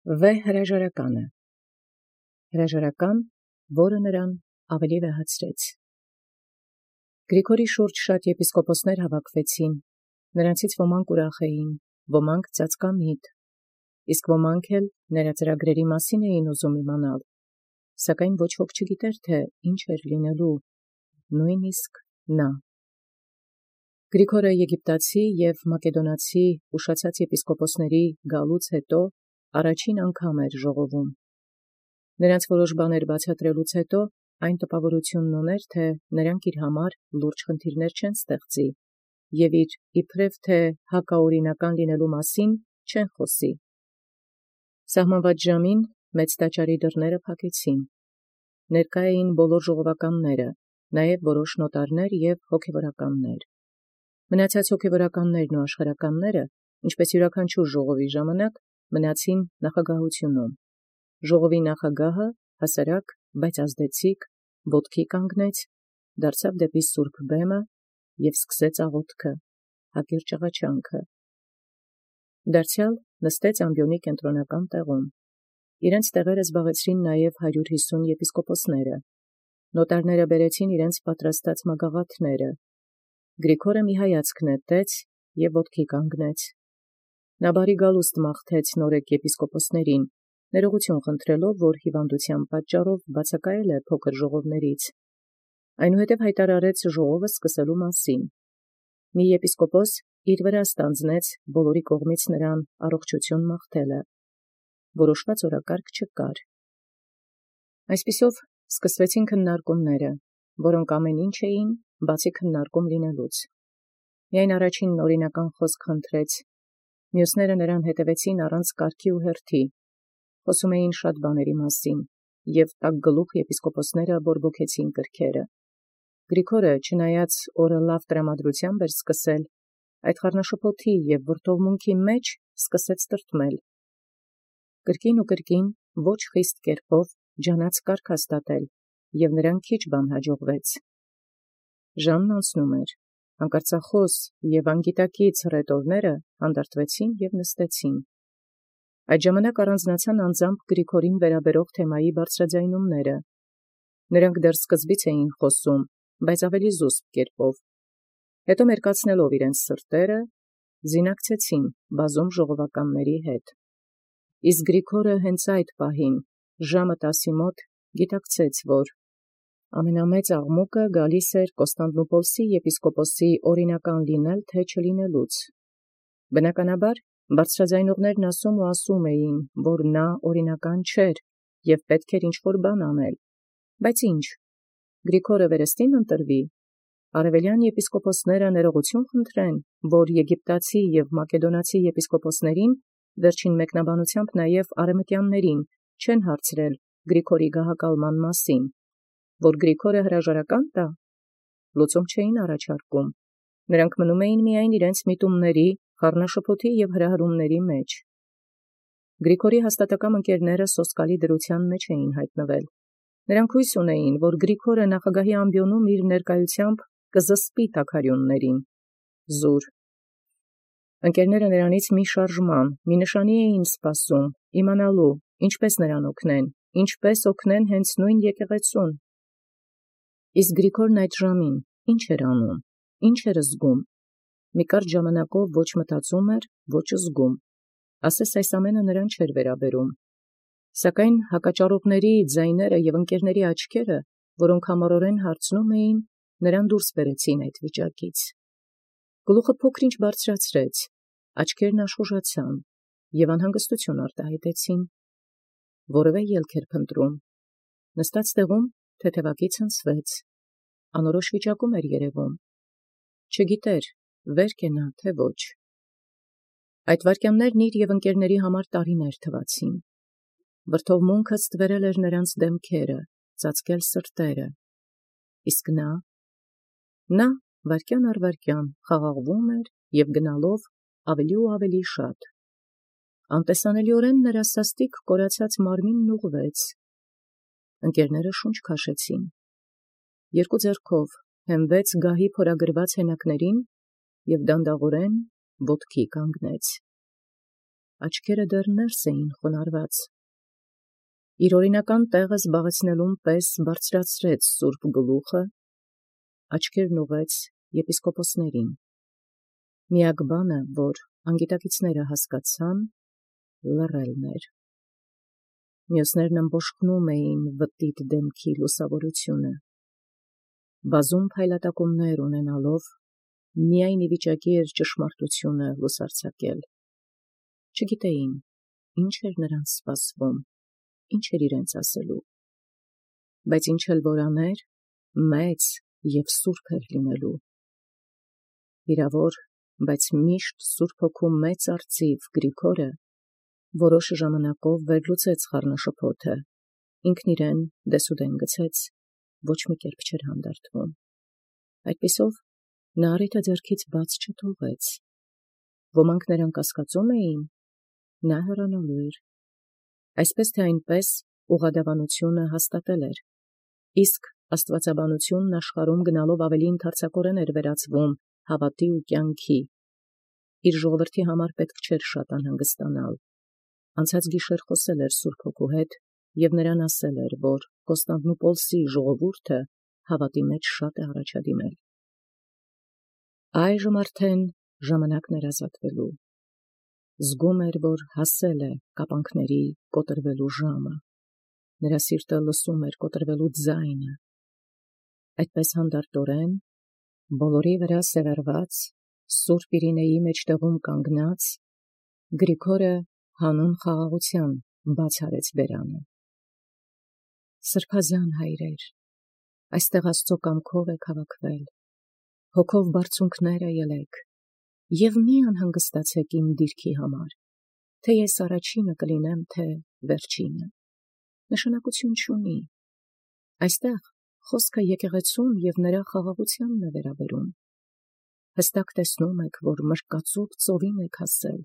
Վ հրաժարականը հրաժարական, որը նրան ավելի վեհացրեց։ Գրիգորի շուրջ շատ եպիսկոպոսներ հավաքվեցին, նրանցից ոմանք ուրախ էին, ոմանք ծածկամիտ, իսկ ոմանք էլ նրա ծրագրերի մասին էին ուզում իմանալ, սակայն ոչ ոք չգիտեր, թե ինչ էր լինելու, նույնիսկ նա։ Գրիգորը Եգիպտացի և Մակեդոնացի ուշացած եպիսկոպոսների գալուց հետո առաջին անգամ էր ժողովում։ Նրանց որոշ բաներ բացատրելուց հետո այն տպավորությունն ուներ, թե նրանք իր համար լուրջ խնդիրներ չեն ստեղծի և իր իբրև թե հակաօրինական լինելու մասին չեն խոսի։ Սահմանված ժամին մեծ տաճարի դռները փակեցին։ Ներկա էին բոլոր ժողովականները, նաև որոշ նոտարներ և հոգևորականներ։ Մնացած հոգևորականներն ու աշխարհականները, ինչպես յուրաքանչյուր ժողովի ժամանակ, մնացին նախագահությունում։ Ժողովի նախագահը հասարակ, բայց ազդեցիկ, ոտքի կանգնեց, դարձավ դեպի սուրբ բեմը և սկսեց աղոթքը, հակիրճ աղաչանքը։ Դարձյալ նստեց ամբիոնի կենտրոնական տեղում։ Իրենց տեղերը զբաղեցրին նաև 150 եպիսկոպոսները։ Նոտարները բերեցին իրենց պատրաստած մագաղաթները։ Գրիգորը մի հայացք նետեց և ոտքի կանգնեց։ Նա բարի գալուստ մաղթեց նորեկ եպիսկոպոսներին, ներողություն խնդրելով, որ հիվանդության պատճառով բացակայել է փոքր ժողովներից։ Այնուհետև հայտարարեց ժողովը սկսելու մասին։ Մի եպիսկոպոս իր վրա ստանձնեց բոլորի կողմից նրան առողջություն մաղթելը։ Որոշված օրակարգ չկար։ Այսպիսով սկսվեցին քննարկումները, որոնք ամեն ինչ էին, բացի քննարկում լինելուց։ Միայն առաջինն օրինական խոսք խնդրեց, մյուսները նրան հետևեցին առանց կարգի ու հերթի, խոսում էին շատ բաների մասին, և տաք գլուխ եպիսկոպոսները բորբոքեցին կրքերը։ Գրիգորը, չնայած օրը լավ տրամադրությամբ էր սկսել, այդ խառնաշփոթի և վրդովմունքի մեջ սկսեց տրտմել։ Կրկին ու կրկին ոչ խիստ կերպով ջանաց կարգ հաստատել, և նրան քիչ բան հաջողվեց։ Ժամն անցնում էր, անկարծախոս և անգիտակից հռետորները հանդարտվեցին և նստեցին։ Այդ ժամանակ առանձնացան անձամբ Գրիգորին վերաբերող թեմայի բարձրաձայնումները։ Նրանք դեռ սկզբից էին խոսում, բայց ավելի զուսպ կերպով։ Հետո մերկացնելով իրենց սրտերը, զինակցեցին բազում ժողովականների հետ։ Իսկ Գրիգորը հենց այդ պահին, ժամը 10-ի մոտ, գիտակցեց, որ ամենամեծ աղմուկը գալիս էր Կոստանդնուպոլսի եպիսկոպոսի օրինական լինել թե չլինելուց։ Բնականաբար, բարձրաձայնողներն ասում ու ասում էին, որ նա օրինական չէր և պետք էր ինչ-որ բան անել։ Բայց ի՞նչ։ Գրիգորը վերստին ընտրվի։ Արևելյան եպիսկոպոսները ներողություն խնդրեն, որ եգիպտացի և մակեդոնացի եպիսկոպոսներին, վերջին մեկնաբանությամբ նաև արևմտյաններին, չեն հարցրել Գրիգորի գահակալման մասին, որ Գրիգորը հրաժարական տա։ Լուծում չէին առաջարկում։ Նրանք մնում էին միայն իրենց միտումների, խառնաշփոթի և հրահրումների մեջ։ Գրիգորի հաստատակամ ընկերները սոսկալի դրության մեջ էին հայտնվել։ Նրանք հույս ունեին, որ Գրիգորը նախագահի ամբիոնում իր ներկայությամբ կզսպի թագարյուններին։ Զուր։ Ընկերները նրանից մի շարժման, մի նշանի էին սպասում, իմանալու, ինչպես նրան օգնեն, ինչպես օգնեն հենց նույն եկեղեցուն։ Իսկ Գրիգորն այդ ժամին ինչ էր անում, ինչ էր զգում։ Մի կարճ ժամանակով ոչ մտածում էր, ոչ զգում։ Ասես այս ամենը նրան չէր վերաբերում։ Սակայն հակաճառողների ձայները և ընկերների աչքերը, որոնք համառորեն հարցնում էին, նրան դուրս բերեցին այդ վիճակից։ Գլուխը փոքր-ինչ բարձրացրեց, աչքերն աշխուժացան և անհանգստություն արտահայտեցին։ Որևէ ելք էր փնտրում։ Նստած տեղում թեթևակի ցնցվեց։ Անորոշ վիճակում էր երևում։ Չգիտեր, վեր կենա, թե ոչ։ Այդ վայրկյաններն իր և ընկերների համար տարիներ թվացին։ Վրդովմունքը ստվերել էր նրանց դեմքերը, ծածկել սրտերը։ Իսկ նա վայրկյան առ վայրկյան խաղաղվում էր և գնալով ավելի ու ավելի շատ։ Անտեսանելիորեն նրա սաստիկ կորացած մարմինն ուղղվեց։ Ընկերները շունչ քաշեցին։ Երկու ձեռքով հենվեց գահի փորագրված հենակներին և դանդաղորեն ոտքի կանգնեց։ աչքերը դեռ ներս էին խոնարհված։ Իր օրինական տեղը զբաղեցնելուն պես բարձրացրեց սուրբ գլուխը, աչքերն ուղղեց եպիսկոպոսներին։ Միակ բանը, որ անգիտակիցները հասկացան, լռելն էր։ Մյուսներն ըմբոշխնում էին վտիտ դեմքի լուսավորությունը։ Բազում փայլատակումներ ունենալով, միայն ի վիճակի էր ճշմարտությունը լուսարձակել։ Չգիտեին, ինչ էր նրանց սպասվում, ինչ էր իրենց ասելու։ Բայց ինչ էլ որ աներ, մեծ և սուրբ էր լինելու։ Վիրավոր, բայց միշտ Սուրբ Հոգու մեծ արծիվ Գրիգորը որոշ ժամանակով վերլուծեց խառնաշփոթը, ինքն իրեն դեսուդեն գցեց, ոչ մի կերպ չէր հանդարտվում։ Այդպիսով նա առիթը ձեռքից բաց չթողեց։ Ոմանք նրան կասկածում էին, նա հեռանալու էր։ Այսպես թե այնպես ուղղադավանությունը հաստատել էր, իսկ աստվածաբանությունն աշխարհում գնալով ավելի ընդարձակորեն էր վերածվում հավատի ու կյանքի։ Իր ժողովրդի համար պետք չէր շատ անհանգստանալ։ Անցած գիշեր խոսել էր Սուրբ Հոգու հետ և նրան ասել էր, որ Կոստանդնուպոլսի ժողովուրդը հավատի մեջ շատ է առաջադիմել։ Այժմ արդեն ժամանակն էր ազատվելու։ Զգում էր, որ հասել է կապանքների կոտրվելու ժամը։ Նրա սիրտը լսում էր կոտրվելու ձայնը։ Այդպես հանդարտորեն, բոլորի վրա սևեռված, Սուրբ Իրինեի մեջտեղում կանգնած, Գրիգորը հանուն խաղաղության բաց արեց բերանը։ Սրբազան հայրեր, այստեղ Աստծո կամքով եք հավաքվել, հոգով բարձունքները ելեք, և մի անհանգստացեք իմ դիրքի համար, թե ես առաջինը կլինեմ, թե վերջինը, նշանակություն չունի։ Այստեղ խոսքը եկեղեցուն և նրա խաղաղությանն է վերաբերում։ Հստակ տեսնում եք, որ մրկածով ծովին եք հասել։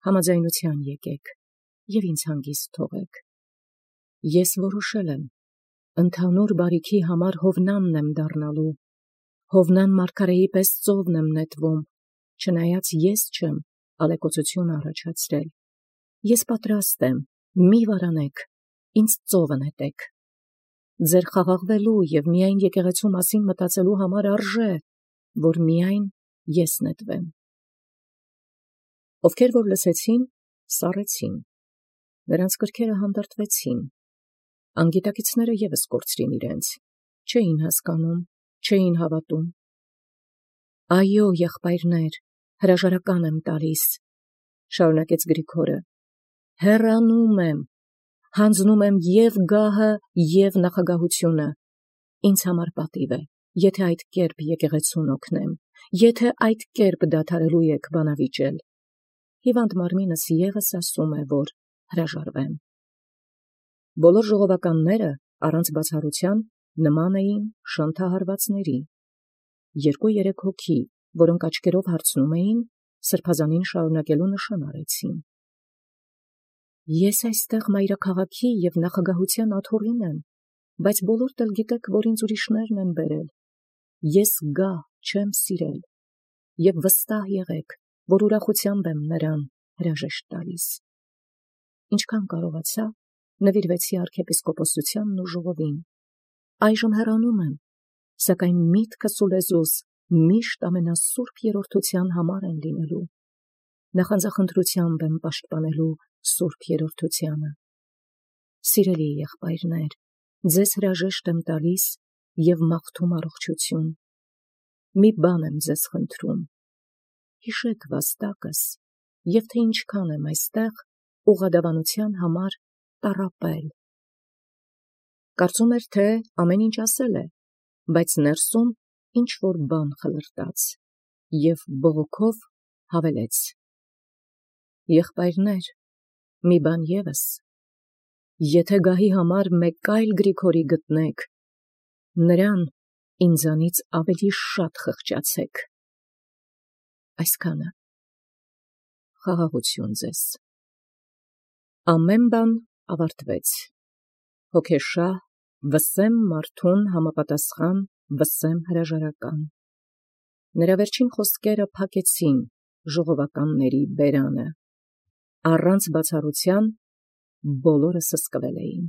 Համաձայնության եկեք և ինձ հանգիստ թողեք։ Ես որոշել եմ, ընդհանուր բարիքի համար Հովնանն եմ դառնալու, Հովնան մարգարեի պես ծովն եմ նետվում, չնայած ես չեմ ալեկոծություն առաջացրել։ Ես պատրաստ եմ, մի վարանեք, ինձ ծովը նետեք։ Ձեր խաղաղվելու և միայն եկեղեցու մասին մտածելու համար արժե, որ միայն ես նետվեմ։ Ովքեր որ լսեցին, սառեցին, նրանց կրքերը հանդարտվեցին, անգիտակիցները ևս կորցրին իրենց, չէին հասկանում, չէին հավատում։ Այո, եղբայրներ, հրաժարական եմ տալիս, շարունակեց Գրիգորը, հեռանում եմ, հանձնում եմ և գահը, և նախագահությունը, ինձ համար պատիվ է, եթե այդ կերպ եկեղեցուն օգնեմ, եթե այդ կերպ դադարելու եք բանավիճել, հիվանդ մարմինս ևս ասում է, որ հրաժարվեմ։ Բոլոր ժողովականները առանց բացառության նման էին շանթահարվածների։ 2-3 հոգի, որոնք աչքերով հարցնում էին, սրբազանին շարունակելու նշան արեցին։ Ես այստեղ մայրաքաղաքի և նախագահության աթոռին եմ, բայց բոլորդ էլ գիտեք, որ ինձ ուրիշներն են բերել։ Ես գահ չեմ սիրել, և վստահ եղեք, որ ուրախությամբ եմ նրան հրաժեշտ տալիս։ Ինչքան կարողացա, նվիրվեցի arczepiskopոսությանն ու ժողովին։ Այժմ հեռանում եմ, սակայն միտքս ու լեզուս միշտ ամենասուրբ երրորդության համար են լինելու։ Նախանձախնդրությամբ եմ պաշտպանելու սուրբ երրորդությանը։ Սիրելի եղբայրներ, ձեզ հրաժեշտ եմ տալիս և մաղթում առողջություն։ Մի բան եմ ձեզ խնդրում. հիշեք վաստակս, և թե ինչքան եմ այստեղ ուղղադավանության համար տառապել։ Կարծում էր, թե ամեն ինչ ասել է, բայց ներսում ինչ-որ բան խլրտաց, և բողոքով հավելեց. եղբայրներ, մի բան ևս, եթե գահի համար մեկ այլ Գրիգորի գտնեք, նրան ինձանից ավելի շատ խղճացեք։ Այսքանը։ Խաղաղություն ձեզ։ Ամեն բան ավարտվեց։ Հոգեշահ, վսեմ մարդուն համապատասխան վսեմ հրաժարական։ Նրա վերջին խոսքերը փակեցին ժողովականների բերանը։ առանց բացառութեան, բոլորը սսկվել էին։